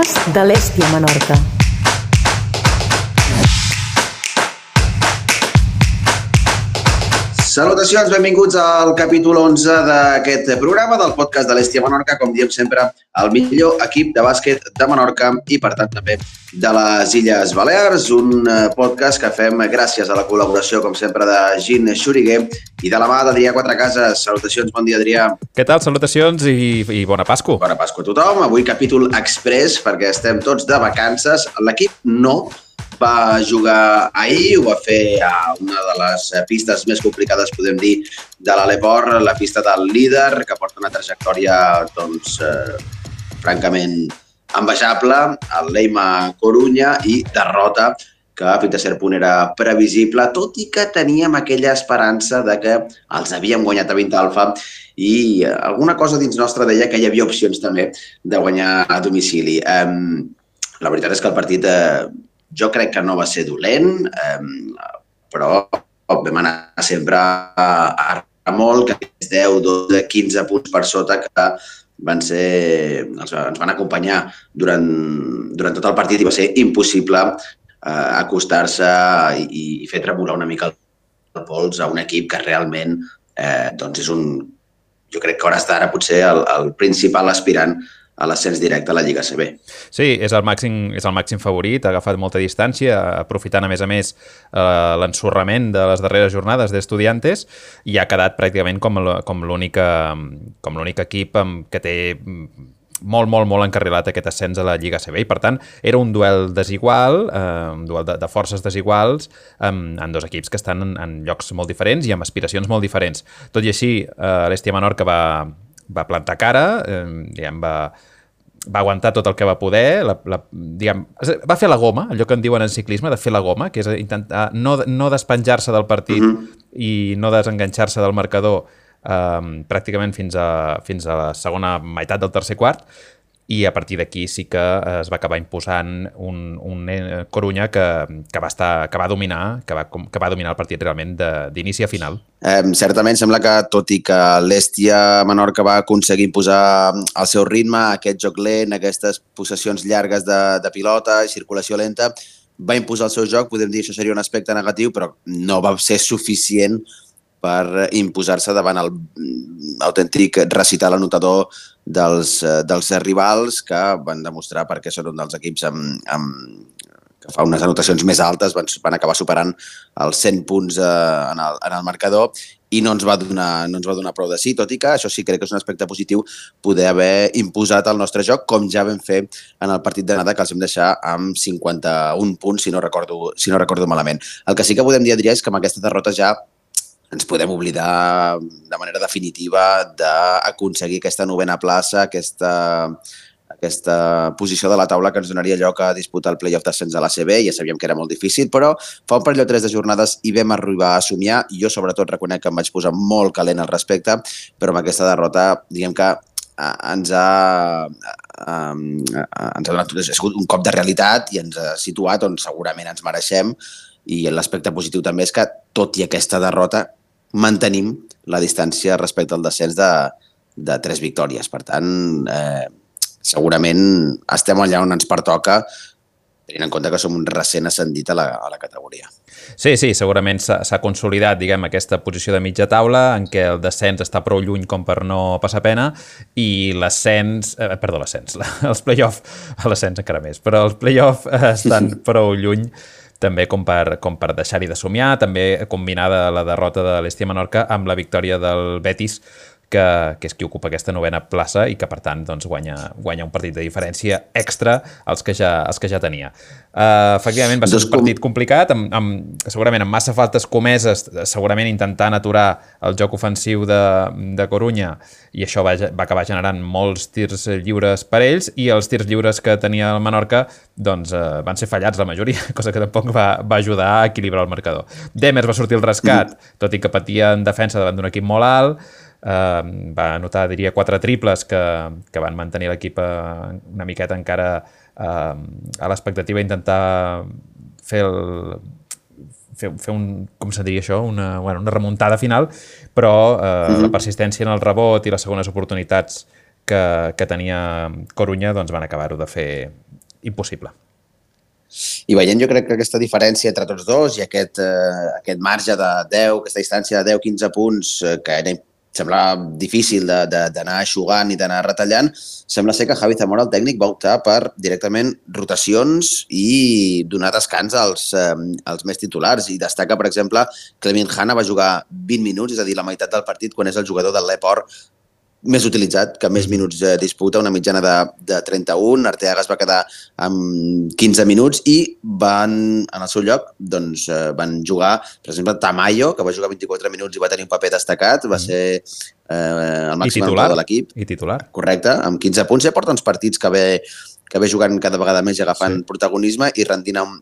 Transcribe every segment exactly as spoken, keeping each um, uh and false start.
podcast de l'Hèstia Menorca. Salutacions, benvinguts al capítol onze d'aquest programa del podcast de l'Hèstia Menorca, com diem sempre, el millor equip de bàsquet de Menorca i, per tant, també de les Illes Balears, un podcast que fem gràcies a la col·laboració, com sempre, de Gin Xuriguer i de la mà d'Adrià Quatrecases. Salutacions, bon dia, Adrià. Què tal? Salutacions i, i bona Pasqua. Bona Pasqua a tothom. Avui capítol express, perquè estem tots de vacances. L'equip no va jugar ahir, ho va fer a una de les pistes més complicades, podem dir, de l'Aleport, la pista del líder, que porta una trajectòria, doncs, eh, francament envejable, el Leima Corunya, i derrota que fins a cert punt era previsible, tot i que teníem aquella esperança de que els havíem guanyat a vint alfa i alguna cosa dins nostra deia que hi havia opcions també de guanyar a domicili. Eh, la veritat és que el partit eh, jo crec que no va ser dolent, eh, però vam anar sempre a, a molt, que és deu, dotze, quinze punts per sota, que van ser, ens van acompanyar durant, durant tot el partit i va ser impossible eh, acostar-se i, i fer tremolar una mica el pols a un equip que realment eh, doncs és un, jo crec que a hores d'ara potser el, el principal aspirant a l'ascens directe a la Lliga A C B. Sí, és el màxim, és el màxim favorit, ha agafat molta distància, aprofitant a més a més eh, l'ensorrament de les darreres jornades d'Estudiantes i ha quedat pràcticament com l'únic com l'únic equip que té molt, molt, molt encarrilat aquest ascens a la Lliga A C B i, per tant, era un duel desigual, eh, un duel de, de forces desiguals eh, en dos equips que estan en, en llocs molt diferents i amb aspiracions molt diferents. Tot i així, eh, l'Hèstia Menorca va, va plantar cara, eh, diguem, va va aguantar tot el que va poder, la, la, diguem, va fer la goma, allò que en diuen en ciclisme, de fer la goma, que és intentar no, no despenjar-se del partit uh-huh. i no desenganxar-se del marcador eh, pràcticament fins a, fins a la segona meitat del tercer quart, i a partir d'aquí sí que es va acabar imposant un, un Corunya que, que, va estar, que va dominar que va, que va dominar el partit realment d'inici a final. Eh, certament sembla que, tot i que l'Hèstia Menorca va aconseguir imposar el seu ritme, aquest joc lent, aquestes possessions llargues de, de pilota i circulació lenta, va imposar el seu joc, podem dir que això seria un aspecte negatiu, però no va ser suficient per imposar-se davant el autèntic recital anotador dels, dels rivals, que van demostrar perquè són un dels equips amb, amb, que fa unes anotacions més altes, van, van acabar superant els cent punts eh, en, el, en el marcador i no ens, va donar, no ens va donar prou de sí, tot i que això sí crec que és un aspecte positiu poder haver imposat el nostre joc, com ja vam fer en el partit d'anada, que els vam deixar amb cinquanta-un punts, si no recordo, si no recordo malament. El que sí que podem dir, Adrià, és que amb aquesta derrota ja ens podem oblidar de manera definitiva d'aconseguir aquesta novena plaça, aquesta, aquesta posició de la taula que ens donaria lloc a disputar el play-off d'ascens a l'A C B. Ja sabíem que era molt difícil, però fa un parell o tres de jornades hi vam arribar a somiar. Jo, sobretot, reconec que em vaig posar molt calent al respecte, però amb aquesta derrota, diguem que ens ha, ens ha donat ha sigut un cop de realitat i ens ha situat on segurament ens mereixem. I l'aspecte positiu també és que, tot i aquesta derrota, mantenim la distància respecte al descens de, de tres victòries. Per tant, eh, segurament estem allà on ens pertoca, tenint en compte que som un recent ascendit a la, a la categoria. Sí, sí, segurament s'ha consolidat, diguem, aquesta posició de mitja taula en què el descens està prou lluny com per no passar pena i l'ascens, eh, perdó, l'ascens, els play-off, l'ascens encara més, però els play-off estan prou lluny també com per, com per deixar-hi de somiar, també combinada la derrota de l'Hèstia Menorca amb la victòria del Betis, que, que és qui ocupa aquesta novena plaça i que, per tant, doncs, guanya, guanya un partit de diferència extra als que ja, als que ja tenia. Uh, efectivament, va ser un partit complicat, amb, amb, segurament amb massa faltes comeses, segurament intentant aturar el joc ofensiu de, de Corunya, i això va, va acabar generant molts tirs lliures per ells, i els tirs lliures que tenia el Menorca doncs, uh, van ser fallats la majoria, cosa que tampoc va, va ajudar a equilibrar el marcador. Demers va sortir el rescat, tot i que patia en defensa davant d'un equip molt alt, Uh, va anotar, diria, quatre triples que, que van mantenir l'equip uh, una miqueta encara uh, a l'expectativa d'intentar fer el... Fer, fer un, com se diria això, una, bueno, una remuntada final, però uh, uh-huh. la persistència en el rebot i les segones oportunitats que, que tenia Corunya doncs van acabar-ho de fer impossible. I veient jo crec que aquesta diferència entre tots dos i aquest, eh, aquest marge de deu, aquesta distància de deu quinze punts eh, que era, sembla difícil d'anar eixugant i d'anar retallant, sembla ser que Javi Zamora, el tècnic, va optar per directament rotacions i donar descans als, eh, als més titulars. I destaca, per exemple, Clement Hanna va jugar vint minuts, és a dir, la meitat del partit, quan és el jugador del Leport més utilitzat, que més minuts eh, disputa, una mitjana de, de trenta-un. Arteaga es va quedar amb quinze minuts i van, en el seu lloc, doncs, eh, van jugar, per exemple, Tamayo, que va jugar vint-i-quatre minuts i va tenir un paper destacat, va ser eh, el màxim anotador de l'equip. I titular. Correcte, amb quinze punts. Ja porta uns partits que ve, que ve jugant cada vegada més i agafant sí. protagonisme i rendint a un,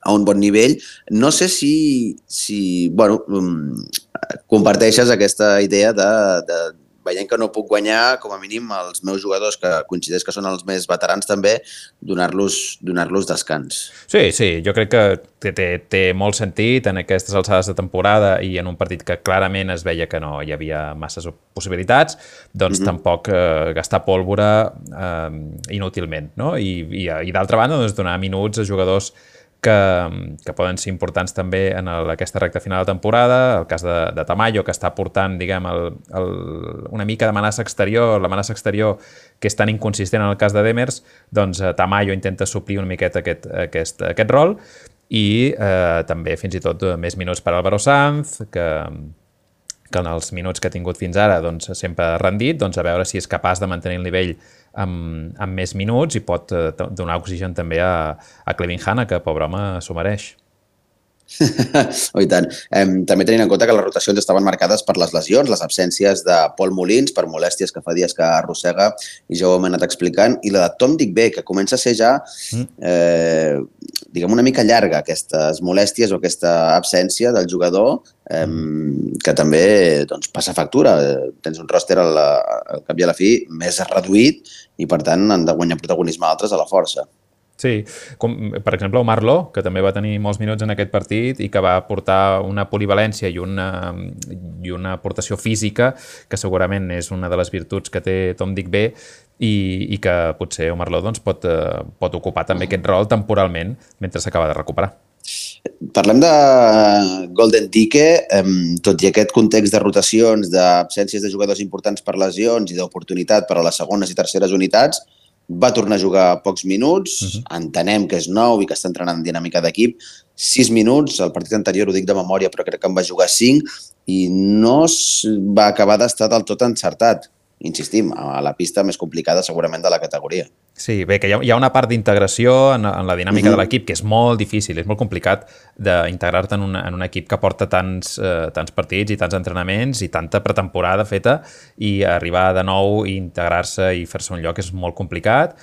a un bon nivell. No sé si, si bueno, comparteixes aquesta idea de, de veient que no puc guanyar, com a mínim, els meus jugadors, que coincideix que són els més veterans també, donar-los donar-los descans. Sí, sí, jo crec que té, té, té molt sentit en aquestes alçades de temporada i en un partit que clarament es veia que no hi havia masses possibilitats, doncs mm-hmm. tampoc eh, gastar pólvora eh, inútilment, no? I, i, i d'altra banda, doncs, donar minuts a jugadors que, que poden ser importants també en el, aquesta recta final de temporada, el cas de, de Tamayo, que està portant, diguem, el, el, una mica d'amenaça exterior, l'amenaça exterior que és tan inconsistent en el cas de Demers, doncs Tamayo intenta suplir una miqueta aquest, aquest, aquest rol i eh, també fins i tot més minuts per Álvaro Sanz, que, que en els minuts que ha tingut fins ara doncs, sempre ha rendit, doncs a veure si és capaç de mantenir el nivell amb, amb més minuts i pot eh, donar oxigen també a, a Clement Hanna, que pobre home s'ho mereix. Oh, i tant. Eh, també tenint en compte que les rotacions estaven marcades per les lesions, les absències de Pol Molins per molèsties que fa dies que arrossega i ja ho hem anat explicant, i la de Tom Digbé, que comença a ser ja eh, diguem una mica llarga, aquestes molèsties o aquesta absència del jugador eh, que també doncs, passa factura. Tens un ròster al, al cap i a la fi més reduït i per tant han de guanyar protagonisme altres a la força. Sí, com per exemple Omar Lo, que també va tenir molts minuts en aquest partit i que va aportar una polivalència i una, i una aportació física que segurament és una de les virtuts que té Tom Digbé i, i que potser Omar Lo doncs, pot, pot ocupar també aquest rol temporalment mentre s'acaba de recuperar. Parlem de Golden Dike, tot i aquest context de rotacions, d'absències de jugadors importants per lesions i d'oportunitat per a les segones i terceres unitats, va tornar a jugar pocs minuts, uh-huh. entenem que és nou i que està entrenant en dinàmica d'equip, sis minuts, el partit anterior ho dic de memòria, però crec que en va jugar cinc i no va acabar d'estar del tot encertat. Insistim, a la pista més complicada segurament de la categoria. Sí, bé, que hi ha, hi ha una part d'integració en, en la dinàmica uh-huh. de l'equip que és molt difícil, és molt complicat d'integrar-te en, una, en un equip que porta tants, eh, tants partits i tants entrenaments i tanta pretemporada feta i arribar de nou i integrar-se i fer-se un lloc és molt complicat.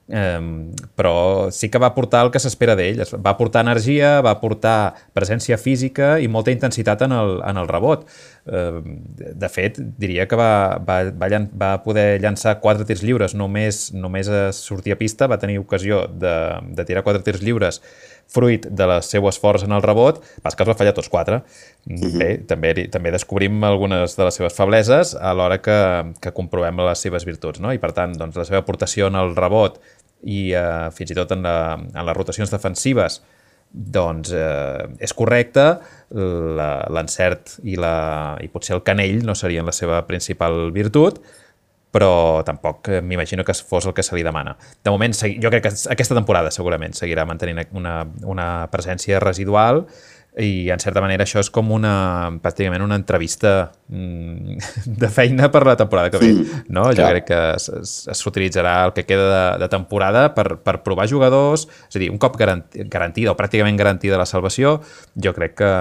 Um, però sí que va aportar el que s'espera d'ell, va aportar energia, va aportar presència física i molta intensitat en el, en el rebot. Uh, de fet, diria que va, va, va, llan va poder llançar quatre tirs lliures, només, només a sortir a pista, va tenir ocasió de, de tirar quatre tirs lliures fruit de les seu esforç en el rebot, pas que els va fallar tots quatre. Mm-hmm. Bé, també, també descobrim algunes de les seves febleses a l'hora que, que comprovem les seves virtuts, no? I per tant, doncs, la seva aportació en el rebot i eh, fins i tot en, la, en les rotacions defensives doncs eh, és correcte, l'encert i, la, i potser el canell no serien la seva principal virtut, però tampoc m'imagino que fos el que se li demana. De moment, jo crec que aquesta temporada segurament seguirà mantenint una, una presència residual i, en certa manera, això és com una, pràcticament una entrevista mm, de feina per la temporada que ve. No? Jo crec que s'utilitzarà el que queda de, de temporada per, per provar jugadors, és a dir, un cop garanti, garantida o pràcticament garantida la salvació, jo crec que,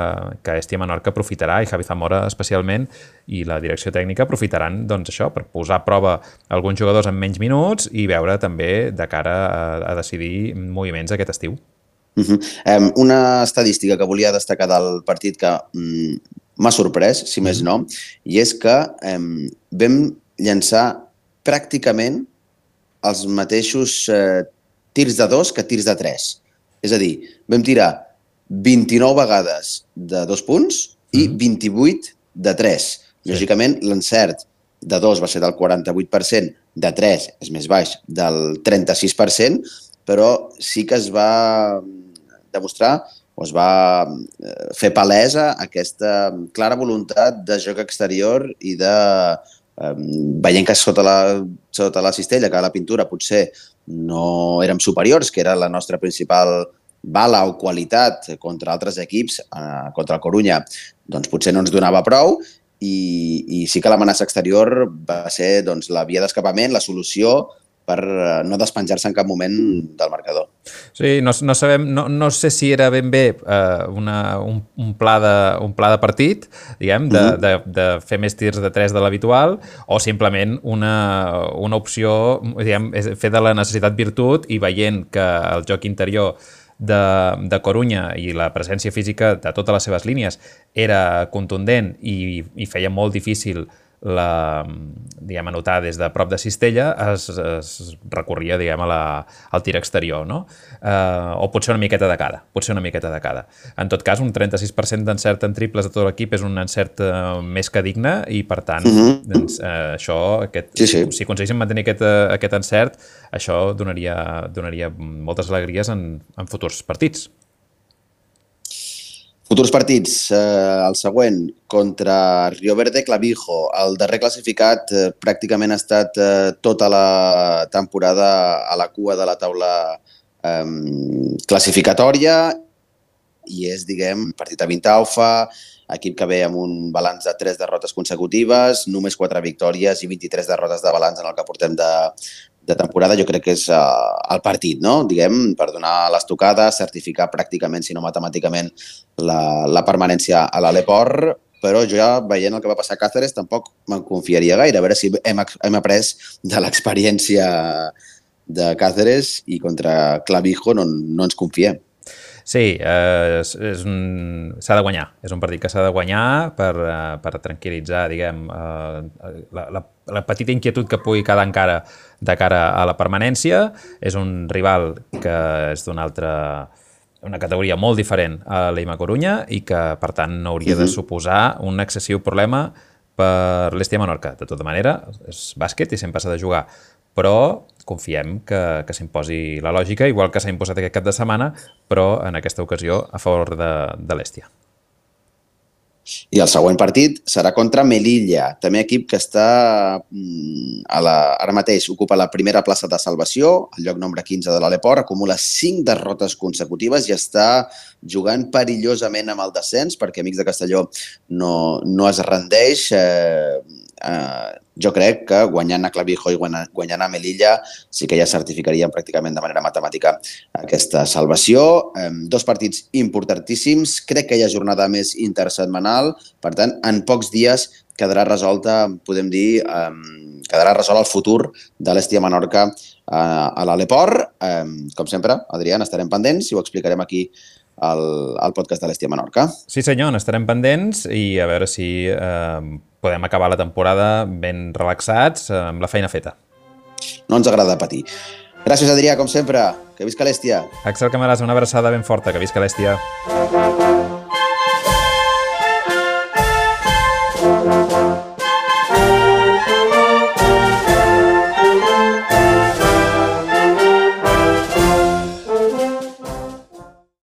que Esti Menorca aprofitarà, i Javi Zamora especialment, i la direcció tècnica aprofitaran doncs, això per posar a prova alguns jugadors amb menys minuts i veure també de cara a, a decidir moviments aquest estiu. Uh-huh. um, una estadística que volia destacar del partit que um, m'ha sorprès, si més no, i és que um, vam llançar pràcticament els mateixos uh, tirs de dos que tirs de tres. És a dir, vam tirar vint-i-nou vegades de dos punts i vint-i-vuit de tres. Lògicament, l'encert de dos va ser del quaranta-vuit per cent, de tres és més baix, del trenta-sis per cent, però sí que es va demostrar o es va fer palesa aquesta clara voluntat de joc exterior i de, eh, veient que sota la, sota la cistella, que la pintura potser no érem superiors, que era la nostra principal bala o qualitat contra altres equips, eh, contra el Corunya, doncs potser no ens donava prou, i, i sí que l'amenaça exterior va ser doncs, la via d'escapament, la solució per no despenjar-se en cap moment del marcador. Sí, no, no sabem, no, no sé si era ben bé uh, una, un, un, pla de, un pla de partit, diguem, de, mm-hmm. de, de fer més tirs de tres de l'habitual, o simplement una, una opció, diguem, fer de la necessitat virtut, i veient que el joc interior de, de Corunya i la presència física de totes les seves línies era contundent i, i feia molt difícil la, diguem, anotar des de prop de cistella, es, es recorria, diguem, a la, al tir exterior, no? Uh, o potser una miqueta de cada, potser una miqueta de cada. En tot cas, un trenta-sis per cent d'encert en triples de tot l'equip és un encert uh, més que digne, i per tant, mm-hmm. doncs, uh, això, aquest, sí, sí. si aconseguíssim mantenir aquest, uh, aquest encert, això donaria, donaria moltes alegries en, en futurs partits. Futurs partits, eh, el següent, contra Rio Verde Clavijo. El darrer classificat eh, pràcticament ha estat eh, tota la temporada a la cua de la taula eh, classificatòria i és, diguem, partit a Vintaufa, equip que ve amb un balanç de tres derrotes consecutives, només quatre victòries i vint-i-tres derrotes de balanç en el que portem de, de temporada. Jo crec que és uh, el partit, no? Diguem, per donar l'estocada, certificar pràcticament, si no matemàticament, la, la permanència a l'Aleport, però jo ja, veient el que va passar a Cáceres, tampoc me'n confiaria gaire, a veure si hem, hem après de l'experiència de Cáceres i contra Clavijo no, no ens confiem. Sí, eh, és, és un, s'ha de guanyar. És un partit que s'ha de guanyar per, eh, per tranquil·litzar, diguem, eh, la, la, la petita inquietud que pugui quedar encara de cara a la permanència. És un rival que és d'una altra, una categoria molt diferent a l'Eima Corunya i que, per tant, no hauria uh-huh. de suposar un excessiu problema per l'Hèstia Menorca. De tota manera, és bàsquet i sempre s'ha de jugar, però confiem que, que s'imposi la lògica, igual que s'ha imposat aquest cap de setmana, però en aquesta ocasió a favor de, de l'Hèstia. I el següent partit serà contra Melilla, també equip que està a la, ara mateix ocupa la primera plaça de salvació, el lloc nombre quinze de l'Aleport, acumula cinc derrotes consecutives i està jugant perillosament amb el descens, perquè Amics de Castelló no, no es rendeix. Eh, eh, jo crec que guanyant a Clavijo i guanyant a Melilla sí que ja certificarien pràcticament de manera matemàtica aquesta salvació. Eh, dos partits importantíssims, crec que hi ha jornada més intersetmanal, per tant, en pocs dies quedarà resolta, podem dir, eh, quedarà resolt el futur de l'Hèstia Menorca eh, a l'Aleport. Eh, com sempre, Adrià, estarem pendents i ho explicarem aquí al, al podcast de l'Hèstia Menorca. Sí senyor, n'estarem pendents i a veure si eh, podem acabar la temporada ben relaxats, eh, amb la feina feta. No ens agrada patir. Gràcies, Adrià, com sempre. Que visca l'Hèstia. Axel Camaràs, una abraçada ben forta. Que visca l'Hèstia.